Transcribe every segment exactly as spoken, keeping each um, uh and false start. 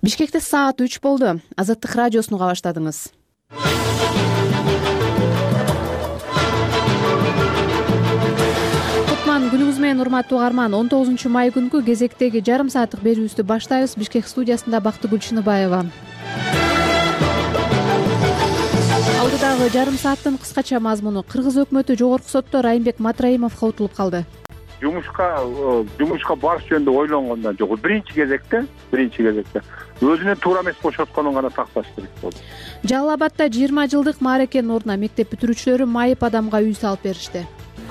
Бишкекте саат үч болду. Азаттык радиосун уга баштадыңыз. Кутман күнүңүз менен урматтуу угарман. он тогузунчу май күнкү кезектеги жарым сааттык берүүбүздү баштайбыз. Бишкек студиясында Бактыгүл Чыныбаева. Алдыдагы жарым сааттын кыскача мазмуну: Кыргыз өкмөтү жогорку сотто Райымбек Матраимовго утулуп калды. Жумушка жумушка барыш жөнүндө ойлонгондон жок. Биринчи кезекте, биринчи кезекте өзүнө туура эмес бошотконун гана такташ керек болду. Жалал Абадда жыйырма жылдык маарекенин ордуна мектеп бүтүрүүчүлөрү майып адамга үй салып беришти.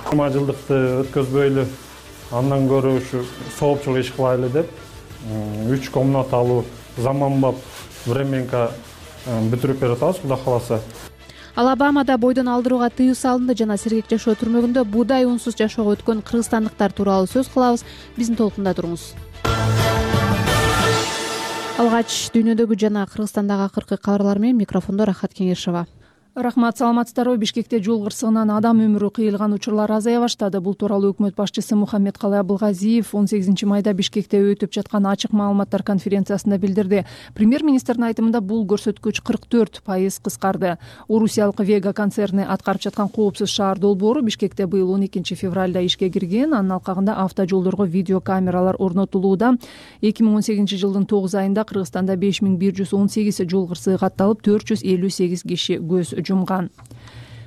жыйырма жылдыкты өткөзбөйлү, андан көрө ушу соопчулук иш кылайлы деп үч комнаталуу заманбап временка бүтүрүп берип атабыз, Кудай кааласа. Алабамада бойдон алдырууга тыюу салынды жана сергек жашоо түрмөгүндө буудай унсуз жашоого өткөн кыргызстандыктар тууралуу сөз кылабыз. Биздин толкунда туруңуз. Алгач дүйнөдөгү жана Кыргызстандагы акыркы кабарлар менен микрофондо Рахат Кеңешова. Рахмат, саламатсыздарбы? Бишкекте жол кырсыгынан адам өмүрү кыйылган учурлар азая баштады. Бул тууралуу өкмөт башчысы Мухаммедкалый Абылгазиев он сегизинчи майда Бишкекте өтүп жаткан ачык маалыматтар конференциясында билдирди. Премьер-министрдин айтымында бул көрсөткүч кырк төрт пайыз кыскарды. Орусиялык Вега концерни аткарып жаткан коопсуз шаар долбоору Бишкекте быйыл он экинчи февралда ишке кирген. Анын алкагында автожолдорго видеокамералар орнотулууда. эки миң он сегизинчи жылдын тогуз айында Кыргызстанда беш миң бир жүз он сегиз жол кырсыгы катталып, төрт жүз элүү сегиз киши көз жумган.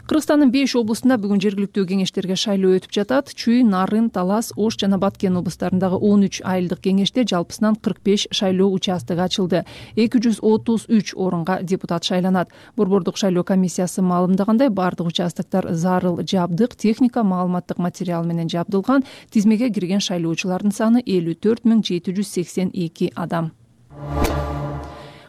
Кыргызстандын беш облустунда бүгүн жергиликтүү кеңештерге шайлоо өтүп жатат. Чүй, Нарын, Талас, Ош жана Баткен облустарындагы он үч айылдык кеңеште жалпысынан кырк беш шайлоо участогу ачылды. эки жүз отуз үч орунга депутат шайланат. Борбордук шайлоо комиссиясы маалымдагандай, бардык участоктор зарыл жабдык, техника, маалыматтык материал менен жабдылган. Тизмеге кирген шайлоочулардын саны элүү төрт миң жети жүз сексен эки адам.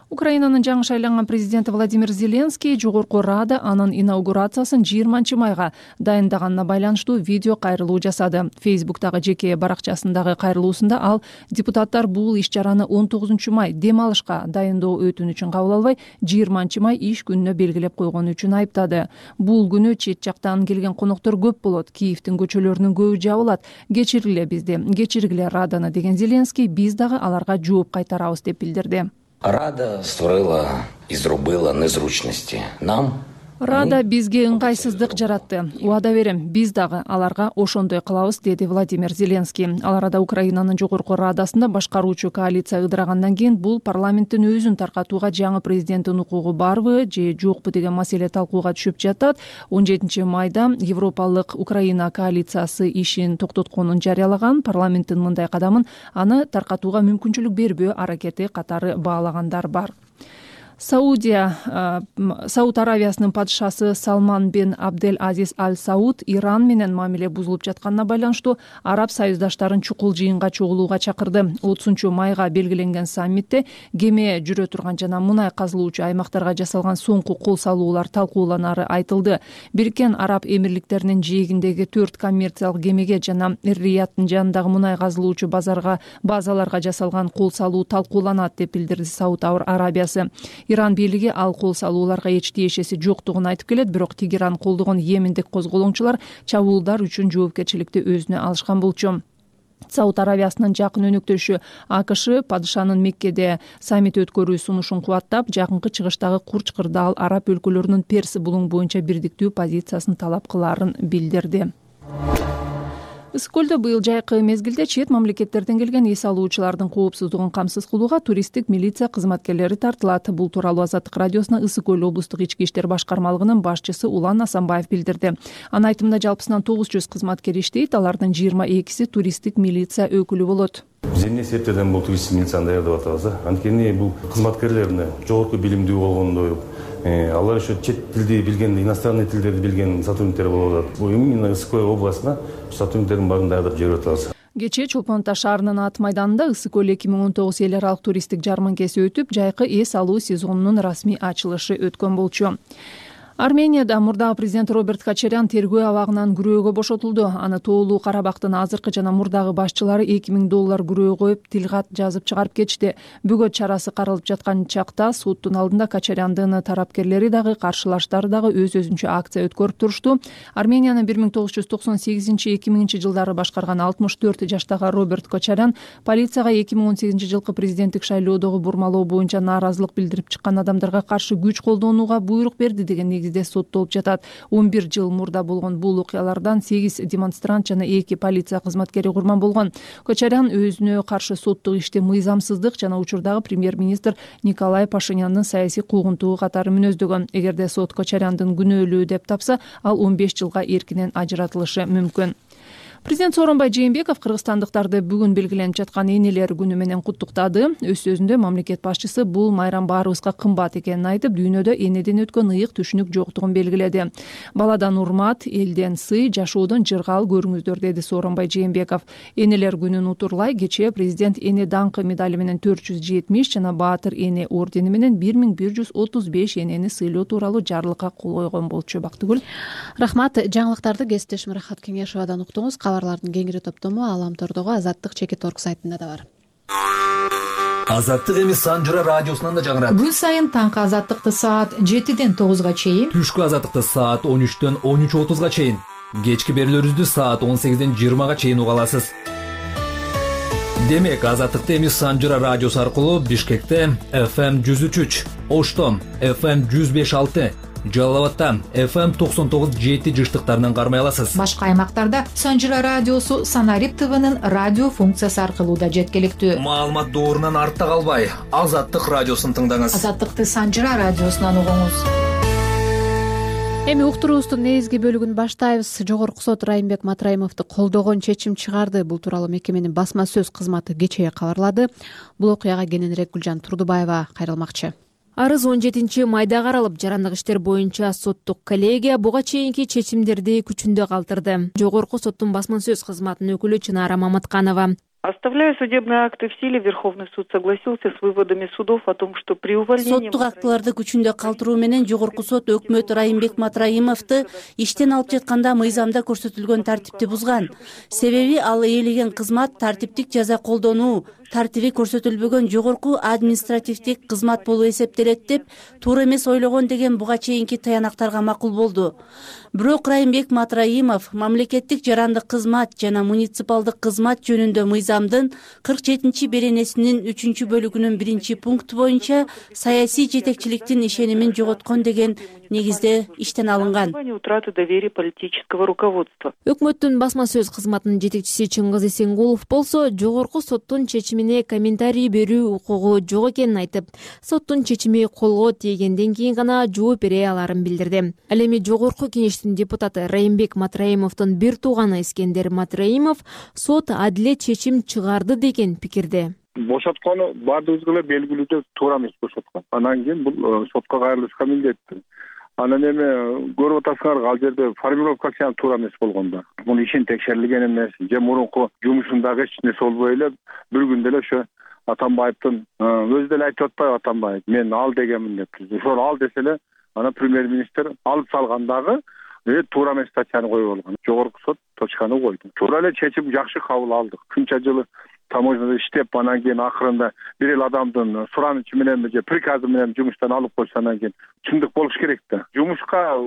Украинанын жаңы шайланган президенти Владимир Зеленский Жогорку Рада анын инаугурациясын жыйырманчы майга дайындаганына байланыштуу видео кайрылуу жасады. Фейсбуктагы жеке баракчасындагы кайрылуусунда ал депутаттар бул иш-чараны он тогузунчу май дем алышка дайындоо өтүнүчүн кабыл албай, жыйырманчы май иш күнүнө белгилеп койгону үчүн айыптады. Бул күнү чет жактан келген коноктор көп болот. Киевдин көчөлөрүнүн көбү жабылат. Кечиргиле бизди, кечиргиле Раданы деген Зеленский, биз дагы аларга жооп кайтарабыз деп билдирди. Рада створила и зробила незручности нам. Рада бизге ыңгайсыздык жаратты. Убада берем, биз дагы аларга ошондой кылабыз, деди Владимир Зеленский. Ал арада Украинанын жогорку Радасында башкаруучу коалиция ыдырагандан кийин бул парламенттин өзүн таркатууга жаңы президенттин укугу барбы же жокпу деген маселе талкууга түшүп жатат. он жетинчи майда Европалык Украина коалициясы ишин токтотконун жарыялаган. Парламенттин мындай кадамын аны таркатууга мүмкүнчүлүк бербөө аракети катары баалагандар бар. Саудия, Сауд Аравиясынын падышасы Салман бен Абдель Азиз Аль Сауд Иран менен мамиле бузулуп жатканына байланыштуу араб союздаштарын чукул жыйынга чогулууга чакырды. отузунчу майга белгиленген саммитте кеме жүрө турган жана мунай казылуучу аймактарга жасалган соңку кол салуулар талкууланары айтылды. Бириккен Араб Эмирликтеринин жээгиндеги төрт коммерциялык кемеге жана Эр-Рияттын жанындагы мунай казылуучу базарга базаларга жасалган кол салуу талкууланат деп билдирди Сауд Арабиясы. Иран бийлиги ал кол салууларга эч тиешеси жоктугун айтып келет, бирок Тегеран колдогон йемендик козголоңчулар чабуулдар үчүн жоопкерчиликти өзүнө алышкан болчу. Сауд Аравиясынын жакын өнөктөшү АКШ падышанын Меккеде саммит өткөрүү сунушун кубаттап, жакынкы чыгыштагы курч кырдаал араб өлкөлөрүнүн Перс булуң боюнча бирдиктүү позициясын талап кылаарын билдирди. Ысык көлдө быйыл жайкы мезгилде чет мамлекеттерден келген эс алуучулардын коопсуздугун камсыз кылууга туристтик милиция кызматкерлери тартылат. Бул тууралуу Азаттык радиосуна Ысык көл облустук ички иштер башкармалыгынын башчысы Улан Асанбаев билдирди. Анын айтымында жалпысынан тогуз жүз кызматкер иштейт, алардын жыйырма экиси туристтик милиция өкүлү болот. Биз эмне себептерден бул туристтик милицияны даярдап атабыз? Анткени бул кызматкерлердин жогорку билимдүү болгондой, алар еще чет тилди билген, иностранный тилдерди билген сотрудниктер болуп атат. Бул именно Ысык көл областына сотрудниктердин баарын даярдап жиберип атабыз. Кечээ Чолпон Ата шаарынын ат майданында Ысык көл эки миң он тогуз эл аралык туристтик жарманкеси өтүп, жайкы эс алуу сезонунун расмий ачылышы өткөн болчу. Арменияда мурдагы президент Роберт Кочарян тергөө абагынан күрөөгө бошотулду. Аны тоолуу Карабактын азыркы жана мурдагы башчылары эки миң доллар күрөө коюп, тилгат жазып чыгарып кетишти. Бөгөт чарасы каралып жаткан чакта соттун алдында Кочаряндын тарапкерлери дагы, каршылаштары дагы өз-өзүнчө акция өткөрүп турушту. Арменияны бир миң тогуз жүз токсон сегизинчи эки миңинчи жылдары башкарган алтымыш төрт жаштагы Роберт Кочарян полицияга эки миң он сегизинчи жылкы президенттик шайлоодогу бурмалоо боюнча нааразылык билдирип чыккан адамдарга каршы күч колдонууга буйрук берди деген негизде соттолуп жатат. он бир жыл мурда болгон бул окуялардан сегиз демонстрант жана эки полиция кызматкери курман болгон. Кочарян өзүнө каршы соттук ишти мыйзамсыздык жана учурдагы премьер-министр Николай Пашиняндын саясий куугунтугу катары мүнөздөгөн. Эгерде сот Кочаряндын күнөөлүү деп тапса, ал он беш жылга эркинен ажыратылышы мүмкүн. Президент Сооронбай Жээнбеков кыргызстандыктарды бүгүн белгиленип жаткан энелер күнү менен куттуктады. Өз сөзүндө мамлекет башчысы бул майрам баарыбызга кымбат экенин айтып, дүйнөдө энеден өткөн ыйык түшүнүк жоктугун белгиледи. Баладан урмат, элден сый, жашоодон жыргал көрүңүздөр, деди Сооронбай Жээнбеков. Энелер күнүн утурлай кечээ президент эне даңкы медали менен төрт жүз жетимиш жана баатыр эне ордени менен бир миң бир жүз отуз беш энени сыйлоо тууралуу жарлыкка кол койгон болчу. Бактыгүл. Рахмат. Жаңылыктарды кесиптешим Рахат Кеңешовадан уктуңуз. Кабарлардын кеңири топтому Аламтордогу Азаттык чекит орг сайтында да бар. Азаттык эми Санжыра радиосунан да жаңырат. Күн сайын таңкы Азаттыкты саат жетиден тогузга чейин, түшкү Азаттыкты саат он үчтөн он үч отузга чейин, кечки берүүлөрүбүздү саат он сегизден жыйырмага чейин уга аласыз. Демек, Азаттыкты эми Санжыра радиосу аркылуу Бишкекте эф эм жүз үч үч, Ошто эф эм жүз беш алты, Жалал абадта эф эм токсон тогуз жети жыштыктарынан кармай аласыз. Башка аймактарда Санжыра радиосу Санарип ТВнын радио функциясы аркылуу да жеткиликтүү. Маалымат доорунан артта калбай, Азаттык радиосун тыңдаңыз. Азаттыкты Санжыра радиосунан угуңуз. Эми уктуруубуздун негизги бөлүгүн баштайбыз. Жогорку сот Райымбек Матраимовду колдогон чечим чыгарды. Бул тууралуу мекеменин басма сөз кызматы кечээ кабарлады. Бул окуяга кененирээк Гүлжан Турдубаева кайрылмакчы. Арыз он жетинчи майда каралып, жарандык иштер боюнча соттук коллегия буга чейинки чечимдерди күчүндө калтырды. Жогорку соттун басма сөз кызматынын өкүлү Чынара Маматканова: Оставляя судебные акты в силе, Верховный суд согласился с выводами судов о том, что при увольнении... Соттук актыларды күчүндө калтыруу менен Жогорку сот өкмөт Райымбек Матраимовду иштен алып жатканда мыйзамда көрсөтүлгөн тартипти бузган. Себеби ал ээлеген кызмат тартиптик жаза колдонуу тартиби көрсөтүлбөгөн жогорку административдик кызмат болуп эсептелет деп туура эмес ойлогон деген буга чейинки таянактарга макул болду. Бирок Райымбек Матраимов мамлекеттик жарандык кызмат жана муниципалдык кызмат жөнүндө мыйзамдын кырк жетинчи беренесинин үчүнчү бөлүгүнүн биринчи пункту боюнча саясий жетекчиликтин ишенимин жоготкон деген негизде иштен алынган. Утраты доверия политического руководства. Өкмөттүн басма сөз кызматынын жетекчиси Чыңгыз Эсенгулов болсо, жогорку соттун чечимине комментарий берүү укугу жок экенин айтып, соттун чечими колго тийгенден кийин гана жооп бере аларын билдирди. Ал эми жогорку кеңештин депутаты Райымбек Матраимовдун бир тууганы Искендер Матраимов сот адилет чечим чыгарды деген пикирде. Бошоткону баардыгыбызга эле белгилүү деп туура эмес бошоткон. Анан кийин бул сотко кайрылышка милдеттүү. Анан эми көрүп атасыңар, ал жерде формировкасы туура эмес болгон да. Бул ишин текшерилген эмес, же мурунку жумушундагы эч нерсе болбой эле бир күндө эле ошо Атамбаевдин өзү деле айтып атпайбы Атамбаев, мен ал дегенмин деп. Ошол ал десе эле анан премьер-министр алып салгандагы туура эмес статьяны коюп алган. Жогорку сот точканы койду. Туура эле чечим жакшы кабыл алдык. Күнчө жылы таможняда иштеп, анан кийин акырында бир эл адамдын суранычы менен же приказы менен жумуштан алып койсо, анан кийин чындык болуш керек да. Жумушка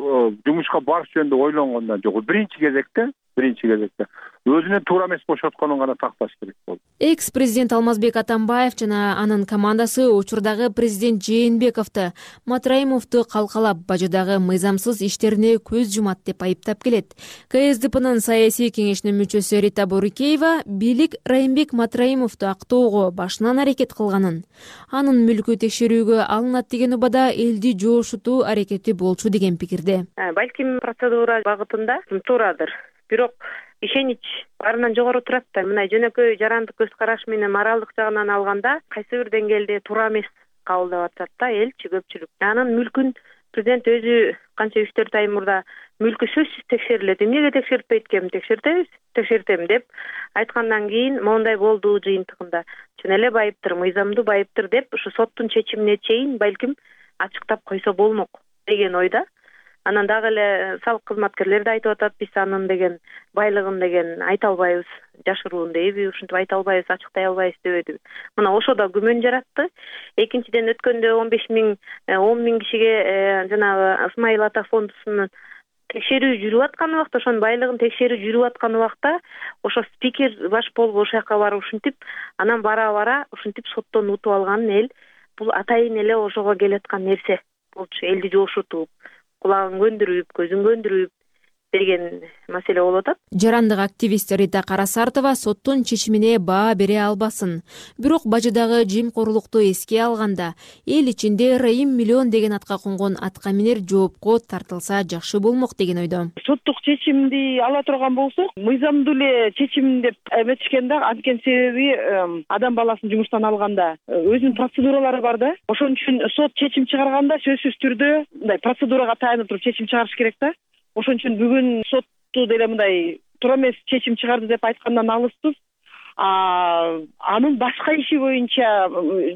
жумушка барыш жөнүндө ойлонгондон жок. Биринчи кезекте, биринчи кезекте өзүнө туура эмес бошотконун гана такташ керек болду. Экс-президент Алмазбек Атамбаев жана анын командасы учурдагы президент Жээнбековду Матраимовду калкалап, бажыдагы мыйзамсыз иштерине көз жумат деп айыптап келет. ка эс дэ пэнын саясий кеңешинин мүчөсү Рита Борукеева бийлик Райымбек Матраимовду актоого башынан аракет кылганын, анын мүлкү текшерүүгө алынат деген убада элди жоошутуу аракети болчу деген пикирде. Балким процедура багытында туурадыр. Бирок ишенич баарынан жогору турат да. Мына жөнөкөй жарандык көз караш менен моралдык жагынан алганда кайсы бир деңгээлде туура эмес кабылдап атат да элчи көпчүлүк. Анын мүлкүн президент өзү канча үч төрт ай мурда мүлкү сөзсүз текшерилет. Эмнеге текшертпейт экенин текшертебиз, текшертем деп айткандан кийин моундай болду жыйынтыгында. Чын эле байыптыр, мыйзамдуу байыптыр деп ушу соттун чечимине чейин балким ачыктап койсо болмок деген ойда. Анан дагы эле салык кызматкерлери да айтып атат, биз анын деген байлыгын деген айта албайбыз, жашыруун дейби, ушинтип айта албайбыз, ачыктай албайбыз дебеди. Мына ошо да күмөн жаратты. Экинчиден өткөндө он беш миң он миң кишиге жанагы Ысмайыл ата фондусунун текшерүү жүрүп аткан убакта, ошонун байлыгын текшерүү жүрүп аткан убакта ошо спикер баш болуп ошол жака барып ушинтип, анан бара бара ушинтип соттон утуп алган эл бул атайын эле ошого келаткан нерсе болчу. Элди жошутуп, кулагын көндүрүп, көзүн көндүрүп деген маселе болуп атат. Жарандык активист Рита Карасартова соттун чечимине баа бере албасын. Бирок бажыдагы жемкорлукту эске алганда, эл ичинде Райым миллион деген атка конгон атка минер жоопко тартылса жакшы болмок деген ойдо. Соттук чечимди ала турган болсок, мыйзамдуу эле чечим деп эметишкен да, анткени себеби адам баласын жумуштан алганда өзүнүн процедуралары бар да. Ошон үчүн сот чечим чыгарганда сөзсүз түрдө мындай процедурага таянып туруп чечим чыгарыш керек да. Ошон үчүн бүгүн сотту деле мындай туура эмес чечим чыгарды деп айткандан алыспыз. Анын башка иши боюнча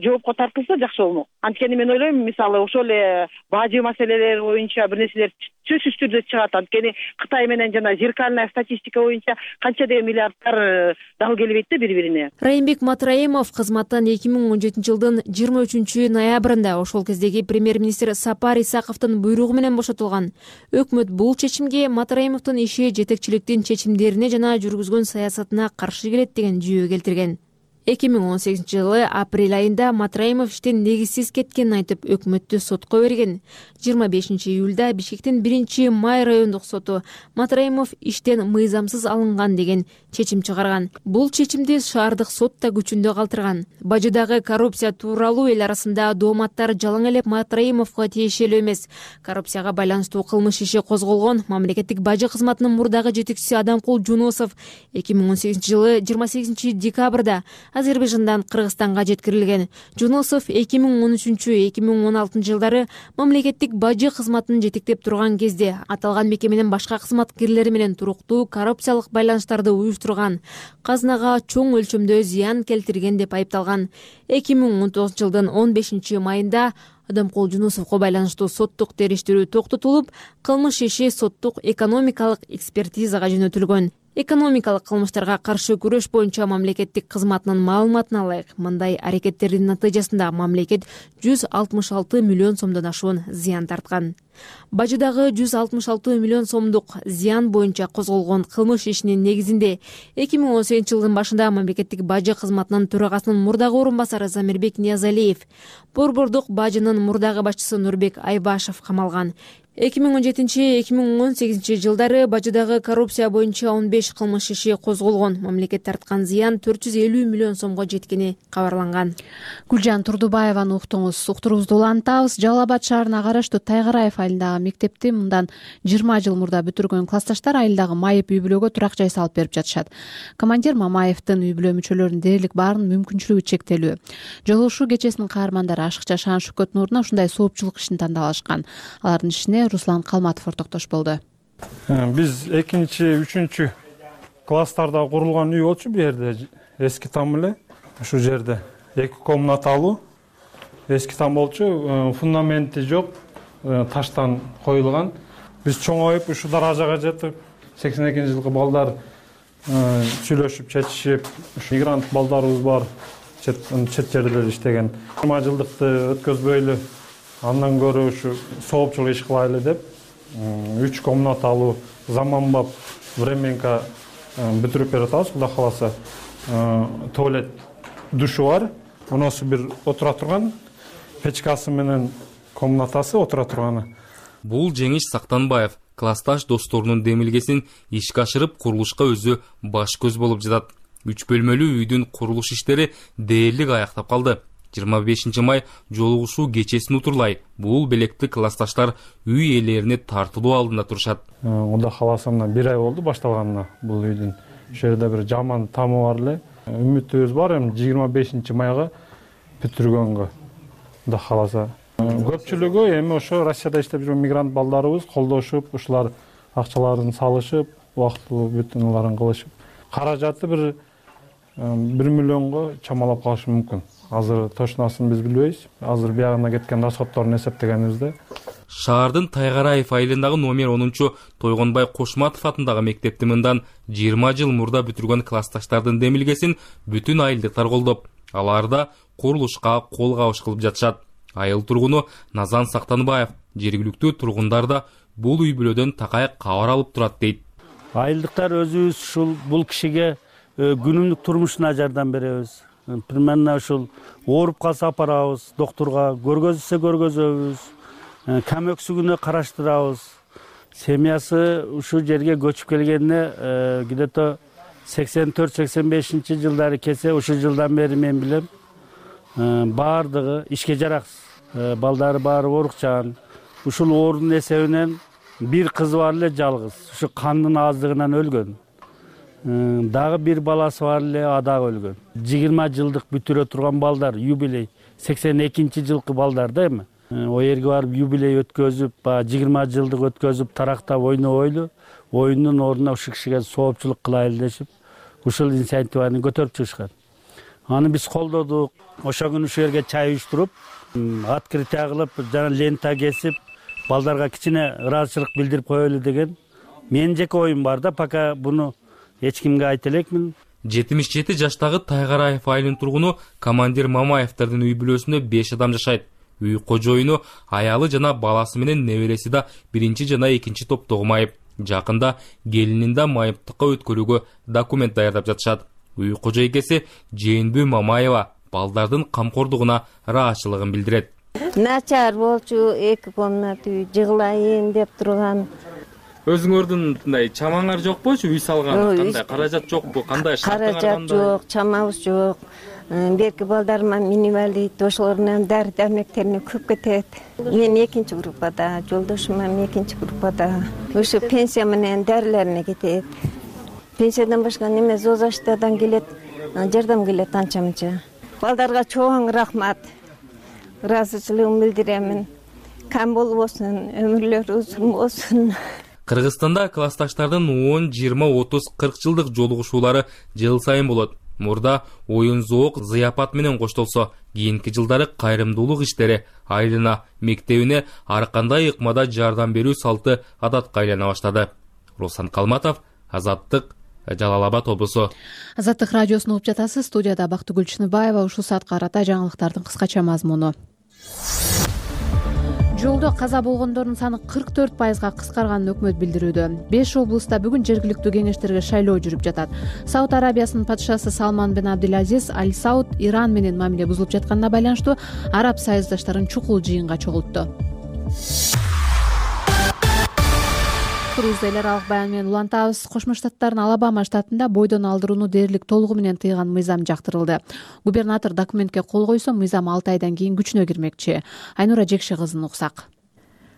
жоопко тартылса жакшы болмок. Анткени мен ойлойм, мисалы ошол эле бажы маселелери боюнча бир нерселер сөзсүз түрдө чыгат. Анткени Кытай менен жана зеркальная статистика боюнча канча деген миллиардтар дал келбейт да бири-бирине. Райымбек Матраимов кызматтан эки миң он жетинчи жылдын жыйырма үчүнчү ноябрында ошол кездеги премьер-министр Сапар Исаковдун буйругу менен бошотулган. Өкмөт бул чечимге Матраимовдун иши жетекчиликтин чечимдерине жана жүргүзгөн саясатына каршы келет деген жүйө келтирген. эки миң он сегизинчи жылы апрель айында Матраимов иштен негизсиз кеткенин айтып, өкмөттү сотко берген. жыйырма бешинчи июлда Бишкектин биринчи май райондук соту Матраимов иштен мыйзамсыз алынган деген чечим чыгарган. Бул чечимди шаардык сот да күчүндө калтырган. Бажыдагы коррупция тууралуу эл арасында дооматтар жалаң элеп Матраимовго тиешелүү эмес. Коррупцияга байланыштуу кылмыш иши козголгон мамлекеттик бажы кызматынын мурдагы жетекчиси Адамкул Жунусов эки миң он сегизинчи жылы жыйырма сегизинчи декабрда Азербайжандан Кыргызстанга жеткирилген. Жунусов эки миң он үчүнчү эки миң он алтынчы жылдары мамлекеттик бажы кызматын жетектеп турган кезде аталган мекеменин башка кызматкерлери менен туруктуу коррупциялык байланыштарды уюштурган, казынага чоң өлчөмдө зыян келтирген деп айыпталган. эки миң он тогузунчу жылдын он бешинчи майында Адамкул Жунусовго байланыштуу соттук териштирүү токтотулуп, кылмыш иши соттук экономикалык экспертизага жөнөтүлгөн. Экономикалык кылмыштарга каршы күрөш боюнча мамлекеттик кызматынын маалыматына ылайык, мындай аракеттердин натыйжасында мамлекет жүз алтымыш алты миллион сомдон ашуун зыян тарткан. Бажыдагы жүз алтымыш алты миллион сомдук зыян боюнча козголгон кылмыш ишинин негизинде эки миң он сегизинчи жылдын башында мамлекеттик бажы кызматынын төрагасынын мурдагы орун басары Замирбек Ниязалиев, Борбордук бажынын мурдагы башчысы Нурбек Айбашев камалган. эки миң он жетинчи эки миң он сегизинчи жылдары бажыдагы коррупция боюнча он беш кылмыш иши козголгон. Мамлекет тарткан зыян төрт жүз элүү миллион сомго жеткени кабарланган. Гүлжан Турдубаеваны уктуңуз. Уктуруубузду улантабыз. Жалал Абад шаарына караштуу Тайгараев айылындагы мектепти мындан жыйырма жыл мурда бүтүргөн классташтар айылдагы майып үй бүлөгө турак жай салып берип жатышат. Командир Мамаевдин үй бүлө мүчөлөрүнүн дээрлик баарынын мүмкүнчүлүгү чектелүү. Жолугушуу кечесинин каармандары Ашыкча Шан Шүкөт Нуруна ушундай соопчулук ишин тандап алышкан. Алардын ишине Руслан Калматов ортоктош болду. Биз экинчи, үчүнчү класстарда курулган үй болчу бу жерде. Эски там эле. Ушул жерде эки комнаталуу эски там болчу, фундаменти жок, таштан коюлган. Биз чоңоюп ушу даражага жеттик. сексен экинчи жылкы балдар сүйлөшүп, чечишип, ушу мигрант балдарыбыз бар. Чет чет жерде иштеген. жыйырма жылдыкты өткөзбөйлү, андан көрө ушу соопчулук иш кылайлы деп үч комнаталуу заманбап временка бүтүрүп берип атабыз. Кудай кааласа туалет, душу бар. Мунусу бир отура турган, печкасы менен комнатасы отура турганы. Бул Жеңиш Сактанбаев классташ досторунун демилгесин ишке ашырып курулушка өзү баш көз болуп жатат. үч бөлмөлүү үйдүн курулуш иштери дээрлик аяктап калды. жыйырма бешинчи май жолугушуу кечесин утурлай бул белекти классташтар үй ээлерине тартылуу алдында турушат. Кудай кааласа мына бир ай болду башталганына бул үйдүн. Ошол жерде бир жаман тамы бар эле. Үмүтүбүз бар эми жыйырма бешинчи майга бүтүргөнгө. Кудай кааласа. Көпчүлүгү эми ошо Россияда иштеп жүргөн мигрант балдарыбыз колдошуп, ушулар акчаларын салышып, убактылуу бүтүнүлөрүн кылышып, каражаты бир бир миллионго чамалап калышы мүмкүн. Азыр точносын биз билбейбиз. Азыр биягына кеткен расходторун эсептегенибизде. Шаардын Тайгараев айылындагы номер онунчу Тойгонбай Кошматов атындагы мектепти мындан жыйырма жыл мурда бүтүргөн классташтардын демилгесин бүтүн айылдыктар колдоп, аларда курулушка кол кабыш кылып жатышат. Айыл тургуну Назан Сактанбаев жергиликтүү тургундар да бул үй бүлөдөн такай кабар алып турат дейт. Айылдыктар өзүбүз ушул бул кишиге күнүмдүк турмушуна жардам беребиз. Примерно ушул ооруп калса апарабыз доктурга, көргөзүлсө көргөзөбүз, кам өксүгүнө караштырабыз. Семьясы ушул жерге көчүп келгенине где-то сексен төрт сексен бешинчи жылдары келсе, ушул жылдан бери мен билем баардыгы ишке жараксыз. Балдары баары оорукчан. Ушул оорунун эсебинен бир кызы бар эле жалгыз. Ушу кандын аздыгынан өлгөн. Дагы бир баласы бар эле, адагы өлгөн. жыйырма жылдык бүтүрө турган балдар, юбилей, сексен экинчи жылкы балдар да эми. О жерге барып юбилей өткөзүп, жыйырма жылдык өткөзүп, тарактап ойнобойлу, оюндун ордуна ушул кишиге соопчулук кылайлы дешип, ушул инициативаны көтөрүп чыгышкан. Аны биз колдодук. Ошол күнү ушул жерге чай уюштуруп, открытие кылып, жана лента кесип, балдарга кичине ыраазычылык билдирип коелу деген менин жеке оюм бар да, пока буну эч кимге айта элекмин. жетимиш жети жаштагы Тайгараев айылынын тургуну командир Мамаевдердин үй бүлөсүндө беш адам жашайт. Үй кожоюну аялы жана баласы менен небереси да биринчи жана экинчи топтогу майып. Жакында келинин да майыптыкка өткөрүүгө документ даярдап жатышат. Үй кожойкеси Жээнбү Мамаева балдардын камкордугуна ыраазычылыгын билдирет. Начар болчу, эки комната үй жыгылайын деп турган. Өзүңөрдүн мындай чамаңар жокпучу? Үй салган кандай каражат жокпу? Кандай шарттар? Каражат жок, чамабыз жок. Берки балдарыма минивалит, ошолордун дары-дармектерине көп кетет. Мен экинчи группада, жолдошум экинчи группада. Ошо пенсия менен дарыларына кетет. Пенсиядан башка неме ЗОЗаштардан келет, жардам келет анча-мынча. Балдарга чоң рахмат. Ыраазычылыгымды билдиремин. Кам болбосун, өмүрлөрү узун болсун. Кыргызстанда классташтардын он, жыйырма, отуз, кырк жылдык жолугушуулары жыл сайын болот. Мурда оюн зоок, зыяпат менен коштолсо, кийинки жылдары кайрымдуулук иштери айылына, мектебине ар кандай ыкмада жардам берүү салты адатка айлана баштады. Руслан Калматов, Азаттык, Жалал Абад облусу. Азаттык радиосун угуп жатасыз. Студияда Бактыгүл Чыныбаева. Ушул саатка карата жаңылыктардын кыскача мазмуну. Жолдо каза болгондордун саны кырк төрт пайызга кыскарганын өкмөт билдирүүдө. беш облуста бүгүн жергиликтүү кеңештерге шайлоо жүрүп жатат. Сауд Арабиясынын падышасы Салман бен Абдулазиз Аль Сауд Иран менен мамиле бузулуп жатканына байланыштуу араб союздаштарын чукул жыйынга чогултту. Турузда эл аралык баян менен улантабыз. Кошмо Штаттардын Алабама штатында бойдон алдырууну дээрлик толугу менен тыйган мыйзам жактырылды. Губернатор документке кол койсо, мыйзам алты айдан кийин күчүнө кирмекчи. Айнура Жекше кызын уксак.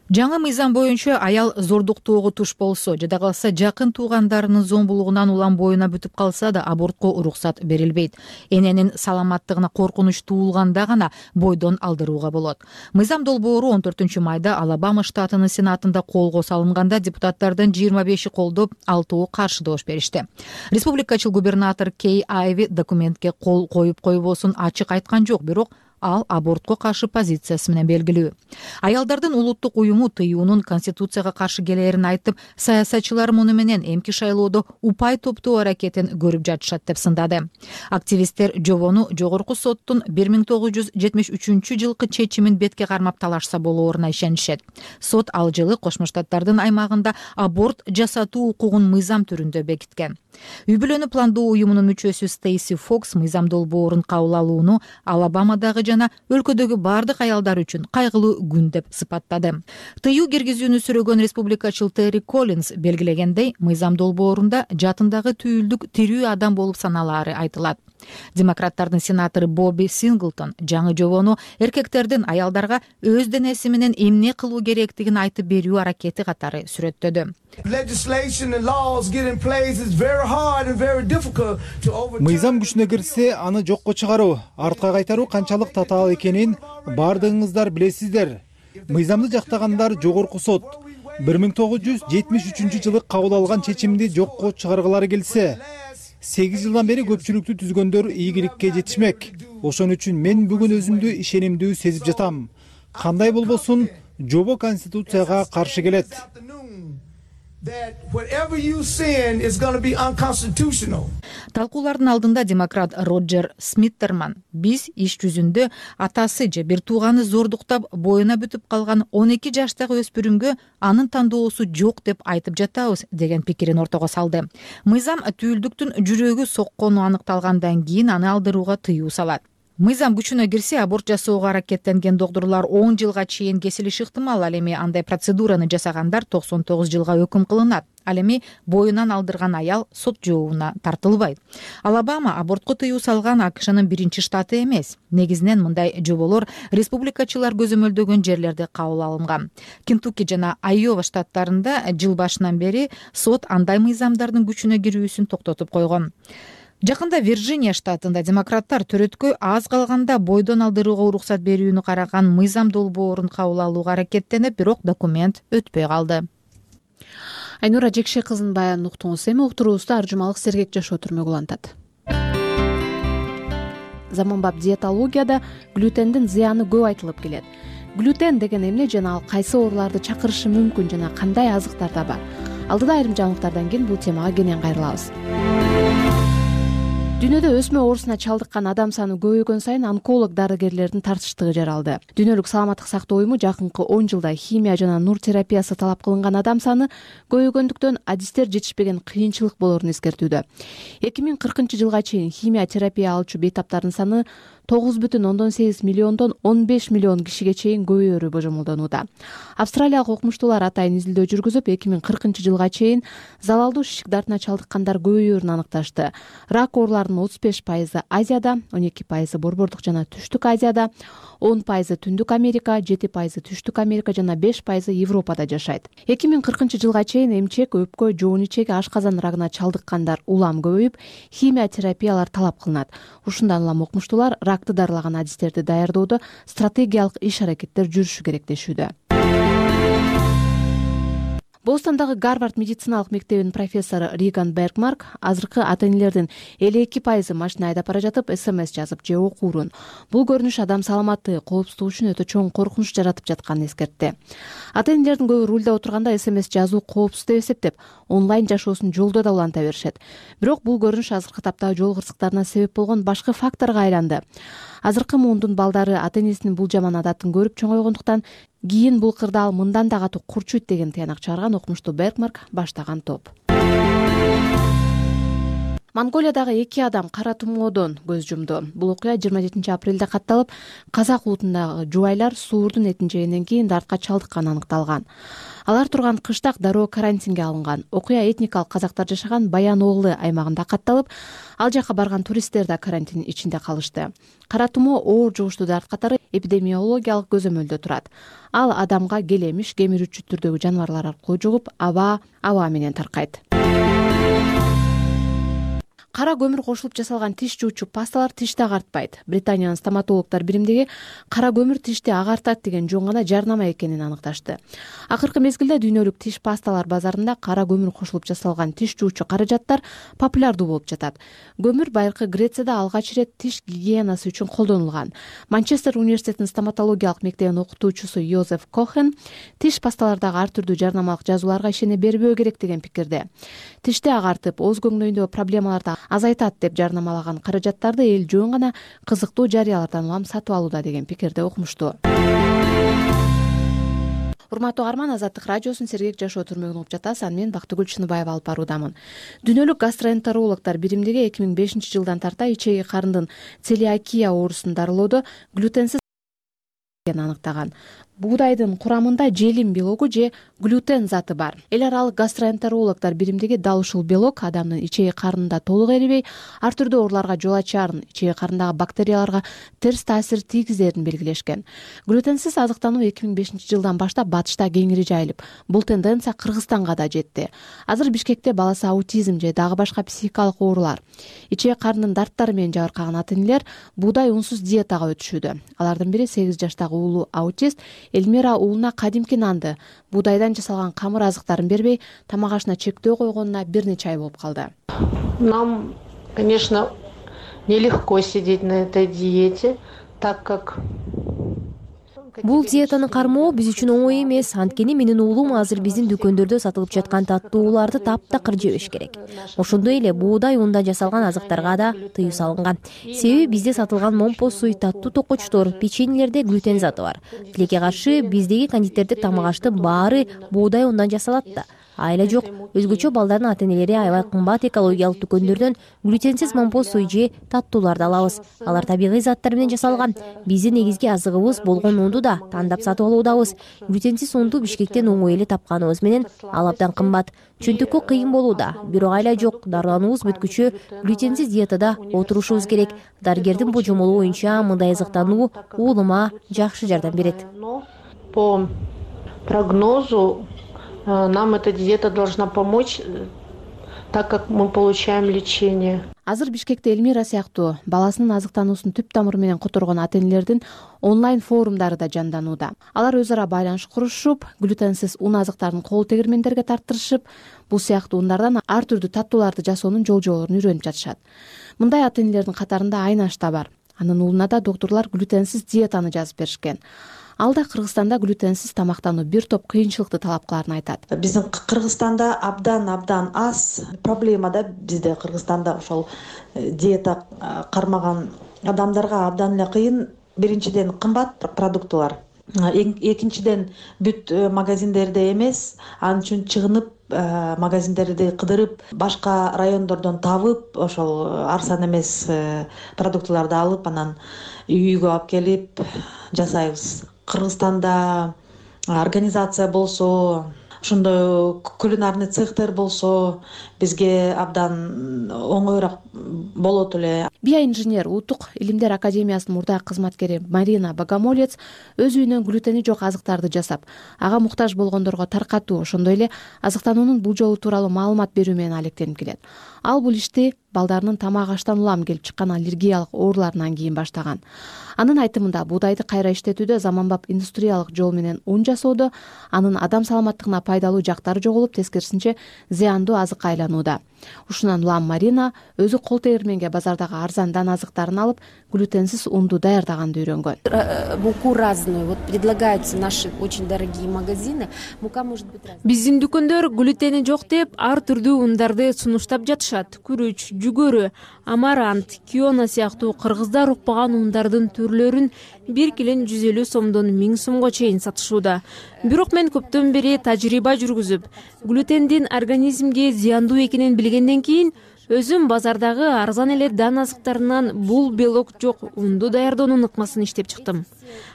Жаңы мыйзам боюнча аял зордуктоого туш болсо, жада калса жакын туугандарынын зомбулугунан улам боюна бүтүп калса да абортко уруксат берилбейт. Эненин саламаттыгына коркунуч туулганда гана бойдон алдырууга болот. Мыйзам долбоору он төртүнчү майда Алабама штатынын сенатында колго салынганда депутаттардын жыйырма беши колдоп, алтоо каршы добуш беришти. Республикачыл губернатор Кей Айви документке кол коюп койбосун ачык айткан жок, бирок ал абортко каршы позициясы менен белгилүү. Аялдардын улуттук уюму тыюунун конституцияга каршы келерин айтып, саясатчылар муну менен эмки шайлоодо упай топтоо аракетин көрүп жатышат деп сындады. Активисттер жобону жогорку соттун бир миң тогуз жүз жетимиш үчүнчү жылкы чечимин бетке кармап талашса болооруна ишенишет. Сот ал жылы Кошмо Штаттардын аймагында аборт жасатуу укугун мыйзам түрүндө бекиткен. Үй бүлөнү пландоо уюмунун мүчөсү Стейси Фокс мыйзам долбоорун кабыл алууну Алабамадагы жана өлкөдөгү бардык аялдар үчүн кайгылуу күн деп сыпаттады. Тыюу киргизүүнү сүрөгөн республикачыл Терри Коллинс белгилегендей, мыйзам долбоорунда жатындагы түйүлдүк тирүү адам болуп саналаары айтылат. Демократтардын сенатору Бобби Синглтон жаңы жобону эркектердин аялдарга өз денеси менен эмне кылуу керектигин айтып берүү аракети катары сүрөттөдү. Мыйзам күчүнө кирсе, аны жокко чыгаруу, артка кайтаруу канчалык татаал экенин бардыгыңыздар билесиздер. Мыйзамды жактагандар жогорку сот бир миң тогуз жүз жетимиш үчүнчү жылы кабыл алган чечимди жокко чыгаргылары келсе, сегиз жылдан бери көпчүлүктү түзгөндөр ийгиликке жетишмек. Ошон үчүн мен бүгүн өзүмдү ишенимдүү сезип жатам. Кандай болбосун, жобо конституцияга каршы келет. Талкуулардын алдында демократ Роджер Смиттерман биз иш жүзүндө атасы же бир тууганы зордуктап боюна бүтүп калган он эки жаштагы өспүрүмгө анын тандоосу жок деп айтып жатабыз деген пикирин ортого салды. Мыйзам түйүлдүктүн жүрөгү соккону аныкталгандан кийин аны алдырууга тыюу салат. Мыйзам күчүнө кирсе, аборт жасоого аракеттенген доктурлар он жылга чейин кесилиши ыктымал. Ал эми андай процедураны жасагандар токсон тогуз жылга өкүм кылынат. Ал эми боюнан алдырган аял сот жообуна тартылбайт. Алабама абортко тыюу салган АКШнын биринчи штаты эмес. Негизинен мындай жоболор республикачылар көзөмөлдөгөн жерлерде кабыл алынган. Кентукки жана Айова штаттарында жыл башынан бери сот андай мыйзамдардын күчүнө кирүүсүн токтотуп койгон. Жакында Вирджиния штатында демократтар төрөткөй аз калганда бойдон алдырууга уруксат берүүнү караган мыйзам долбоорун кабыл алууга аракеттенип, бирок документ өтпөй калды. Айнура Жекше кызынын баянын уктуңуз. Эми уктуруубузду Аржумалык Сергек Жашоо түрмөгү улантат. Заманбап диетологияда глютендин зыяны көп айтылып келет. Глютен деген эмне жана ал кайсы ооруларды чакырышы мүмкүн жана кандай азыктарда бар? Алдыда айрым жаңылыктардан кийин бул темага кенен кайрылабыз. Дүйнөдө өсмө оорусуна чалдыккан адам саны көбөйгөн сайын онколог дарыгерлердин тартыштыгы жаралды. Дүйнөлүк саламаттык сактоо уюму жакынкы он жылда химия жана нур терапиясы талап кылынган адам саны көбөйгөндүктөн адистер жетишпеген кыйынчылык болорун эскертүүдө. эки миң кыркынчы жылга чейин химия терапия алуучу бейтаптардын саны тогуз бүтүн ондон сегиз миллиондон он беш миллион кишиге чейин көбөйөрү божомолдонууда. Австралиялык окумуштуулар атайын изилдөө жүргүзүп, эки миң кыркынчы жылга чейин залалдуу шишик дартына чалдыккандар көбөйөөрүн аныкташты. Рак ооруларынын отуз беш пайызы Азияда, он эки пайызы Борбордук жана Түштүк Азияда, он пайызы Түндүк Америка, жети пайызы Түштүк Америка жана беш пайызы Европада жашайт. эки миң кыркынчы жылга чейин эмчек, өпкө, жоон ичеги, ашказан рагына чалдыккандар улам көбөйүп, химия терапиялар талап кылынат. Ушундан улам окумуштуулар ракты дарылаган адистерди даярдоодо стратегиялык иш-аракеттер жүрүшү керек дешүүдө. Бостондагы Гарвард медициналык мектебинин профессору Риган Бергмарк азыркы ата-энелердин элүү эки пайызы машина айдап бара жатып смс жазып же окуурун. Бул көрүнүш адам саламаттыгы, коопсуздугу үчүн өтө чоң коркунуч жаратып жатканын эскертти. Ата-энелердин көбү рулда отурганда смс жазуу коопсуз деп эсептеп, онлайн жашоосун жолдо да уланта беришет. Бирок бул көрүнүш азыркы таптагы жол кырсыктарына себеп болгон башка факторго айланды. Азыркы муундун балдары ата-энесинин бул жаман адатын көрүп чоңойгондуктан кийин бул кырдаал ал мындан да катуу курчуйт деген тыянак чыгарган окумуштуу Бергмарк баштаган топ. Монголиядагы эки адам кара тумоодон көз жумду. Бул окуя жыйырма жетинчи апрелде катталып, казак улутундагы жубайлар суурдун этин жегенден кийин дартка чалдыкканы аныкталган. Алар турган кыштак дароо карантинге алынган. Окуя этникалык казактар жашаган Баян Оглы аймагында катталып, ал жака барган туристтер да карантин ичинде калышты. Кара тумоо оор жугуштуу дарт катары эпидемиологиялык көзөмөлдө турат. Ал адамга келемиш, кемирүүчү түрдөгү жаныбарлар аркылуу жугуп, аба аба менен таркайт. Кара көмүр кошулуп жасалган тиш жуучу пасталар тишти агартпайт. Британиянын стоматологдор биримдиги кара көмүр тишти агартат деген жөн гана жарнама экенин аныкташты. Акыркы мезгилде дүйнөлүк тиш пасталар базарында кара көмүр кошулуп жасалган тиш жуучу каражаттар популярдуу болуп жатат. Көмүр байыркы Грецияда алгач ирет тиш гигиенасы үчүн колдонулган. Манчестер университетинин стоматологиялык мектебинин окутуучусу Йозеф Кохен тиш пасталардагы ар түрдүү жарнамалык жазууларга ишене бербөө керек деген пикирде. Тишти агартып, ооз көңнөйүндөгү проблемаларды азайтат деп жарнамалаган каражаттарды эл жөн гана кызыктуу жарыялардан улам сатып алууда деген пикирде окумуштуу. Урматтуу угарман, Азаттык радиосунун Сергек Жашоо түрмөгүн угуп жатасыз. Аны мен Бактыгүл Чыныбаева алып баруудамын. Дүйнөлүк гастроэнтерологдор биримдиги эки миң бешинчи жылдан тарта ичеги карындын целиакия оорусун дарылоодо глютенсиз аныктаган. Буудайдын курамында желим белогу же глютен заты бар. Эл аралык гастроэнтерологдор биримдиги дал ушул белок адамдын ичеги карынында толук эрибей, ар түрдүү ооруларга жол ачаарын, ичеги карындагы бактерияларга терс таасир тийгизерин белгилешкен. Глютенсиз азыктануу эки миң бешинчи жылдан баштап батышта кеңири жайылып, бул тенденция Кыргызстанга да жетти. Азыр Бишкекте баласы аутизм же дагы башка психикалык оорулар, ичеги карындын дарттары менен жабыркаган ата-энелер буудай унсуз диетага өтүшүүдө. Алардын бири сегиз жаштагы уулу аутист Эльмира уулуна кадимки нанды, буудайдан жасалган камыр азыктарын бербей, тамак ашына чектөө койгонуна бир нече ай болуп калды. Нам, конечно, нелегко сидеть на этой диете, так как Бул диетаны кармоо биз үчүн оңой эмес, анткени менин уулум азыр биздин дүкөндөрдө сатылып жаткан таттууларды таптакыр жебеш керек. Ошондой эле буудай ундан жасалган азыктарга да тыюу салынган. Себеби бизде сатылган момпо суй, таттуу токочтор, печеньелерде глютен заты бар. Тилекке каршы биздеги кондитердик тамак аштын баары буудай ундан жасалат да. Айла жок, өзгөчө балдардын ата-энелери аябай кымбат экологиялык дүкөндөрдөн глютенсиз момпо суй же таттууларды алабыз. Алар табигый заттар менен жасалган. Биздин негизги азыгыбыз болгон унду да тандап сатып алуудабыз. Глютенсиз унду Бишкектен оңой эле тапканыбыз менен ал абдан кымбат. Чөнтөккө кыйын болууда, бирок айла жок, дарылануубуз бүткүчө глютенсиз диетада отурушубуз керек. Дарыгердин божомолу боюнча мындай азыктануу уулума жакшы жардам берет. По прогнозу нам эта диета должна помочь, так как мы получаем лечение. Азыр Бишкекте Элмира сыяктуу баласынын азыктануусун түп тамыры менен которгон ата-энелердин онлайн форумдары да жанданууда. Алар өз ара байланыш курушуп, глютенсиз ун азыктарын кол тегирмендерге тарттырышып, бул сыяктуу ундардан ар түрдүү таттууларды жасоонун жол-жоболорун үйрөнүп жатышат. Мындай ата-энелердин катарында Айнаш да бар. Анын уулуна да доктурлар глютенсиз диетаны жазып беришкен. Ал да Кыргызстанда глютенсиз тамактануу бир топ кыйынчылыкты талап кыларын айтат. Биздин Кыргызстанда абдан абдан аз проблема да, бизде Кыргызстанда ошол диета кармаган адамдарга абдан эле кыйын. Биринчиден кымбат продуктылар. Экинчиден бүт магазиндерде эмес, ал үчүн чыгынып магазиндерди кыдырып, башка райондордон табып, ошол арзан эмес продуктыларды алып, анан үйгө алып келип жасайбыз. Кыргызстанда организация болсо, ошондой кулинарный цехтер болсо, бизге абдан оңоюраак болот эле. Биоинженер Улуттук илимдер академиясынын мурдагы кызматкери Марина Богомолец өз үйүнөн глютени жок азыктарды жасап, ага муктаж болгондорго таркатуу, ошондой эле азыктануунун бул жолу тууралуу маалымат берүү менен алектенип келет. Ал бул ишти балдарынын тамак аштан улам келип чыккан аллергиялык ооруларынан кийин баштаган. Анын айтымында буудайды кайра иштетүүдө заманбап индустриялык жол менен ун жасоодо анын адам саламаттыгына пайдалуу жактары жоголуп, тескерисинче зыяндуу азыкка айланууда. Ушундан улам Марина өзү кол тегирменге базардагы арзандан азыктарын алып, глютенсиз унду даярдаганды үйрөнгөн. Муку разную, вот предлагаются наши очень дорогие магазины. Мука может быть разная. Биздин дүкөндөр глютени жок деп ар түрдүү ундарды сунуштап жатышат. Күрүч, жүгөрү, амарант, киона сыяктуу кыргыздар укпаган ундардын түрлөрүн бир килен жүз элүү сомдон миң сомго чейин сатышууда. Бирок мен көптөн бери тажрыйба жүргүзүп, глютендин организмге зыяндуу экенин билгенден кийин өзүм базардагы арзан эле дан азыктарынан бул белок жок унду даярдоонун ыкмасын иштеп чыктым.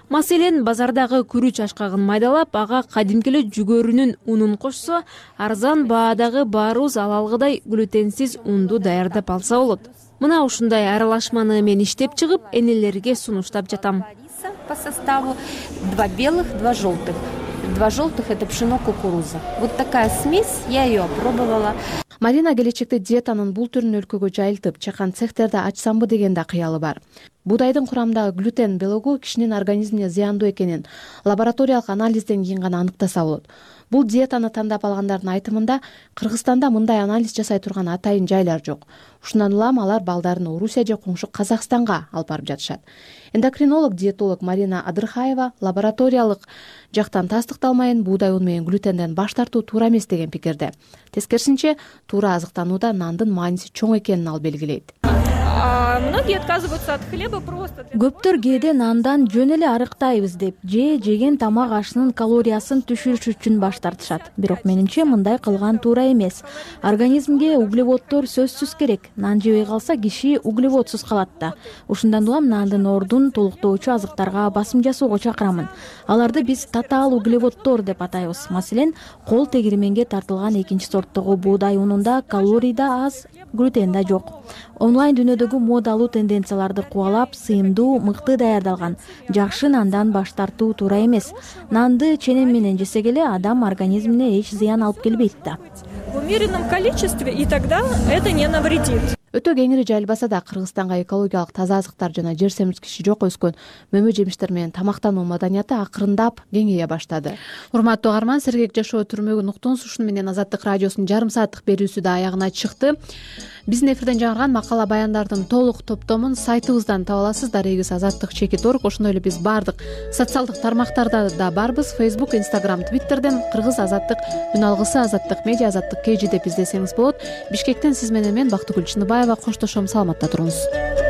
Маселен, базардагы күрүч ашкагын майдалап, ага кадимки эле жүгөрүнүн унун кошсо, арзан баадагы баарыбыз алалгыдай глютенсиз унду даярдап алса болот. Мына ушундай аралашманы мен иштеп чыгып, энелерге сунуштап жатам. По составу два белых, два желтых. Два желтых — это пшено, кукуруза. Вот такая смесь, я ее опробовала. Марина келечекте диетанын бул түрүн өлкөгө жайылтып, чакан цехтерди ачсамбы деген да кыялы бар. Буудайдын курамындагы глютен белогу кишинин организмине зыяндуу экенин лабораториялык анализден кийин гана аныктаса болот. Бул диетаны тандап алгандардын айтымында Кыргызстанда мындай анализ жасай турган атайын жайлар жок. Ушундан улам алар балдарын Орусия же коңшу Казакстанга алып барып жатышат. Эндокринолог диетолог Марина Адырхаева лабораториялык жактан тастыкталмайын буудай уну менен глютенден баш тартуу туура эмес деген пикирде. Тескерисинче, туура азыктанууда нандын мааниси чоң экенин ал белгилейт. Многие отказываются от хлеба просто. Көптөр кээде нандан жөн эле арыктайбыз деп же жеген тамак ашынын калориясын түшүрүш үчүн баш тартышат. Бирок менимче мындай кылган туура эмес. Организмге углеводдор сөзсүз керек. Нан жебей калса киши углеводсуз калат да. Ушундан улам нандын ордун толуктоочу азыктарга басым жасоого чакырамын. Аларды биз татаал углеводдор деп атайбыз. Маселен, кол тегирменге тартылган экинчи сорттогу буудай унунда калорий да аз, глютен да жок. Онлайн дүйнөдөгү модалуу тенденцияларды кубалап, сыйымдуу, мыкты даярдалган жакшы нандан баш тартуу туура эмес. Нанды ченем менен жесек эле адам организмине эч зыян алып келбейт да. В умеренном количестве, и тогда это не навредит. Өтө кеңири жайылбаса да Кыргызстанга экологиялык таза азыктар жана жер семирткичи жок өскөн мөмө жемиштер менен тамактануу маданияты акырындап кеңейе баштады. Урматтуу угарман, сергек жашоо түрмөгүн уктуңуз. Ушуну менен Азаттык радиосунун жарым сааттык берүүсү да аягына чыкты. биздин эфирден жаңырган макала баяндардын толук топтомун сайтыбыздан таба аласыз. Дарегиз азаттык чекит орг. Ошондой эле биз баардык социалдык тармактарда да барбыз. Facebook, Instagram, Twitterден кыргыз азаттык үн алгысы, азаттык медиа, азаттык kg деп издесеңиз болот. Бишкектен сиз менен мен Бактыгүл Чыныбаева коштошом. Саламатта туруңуз.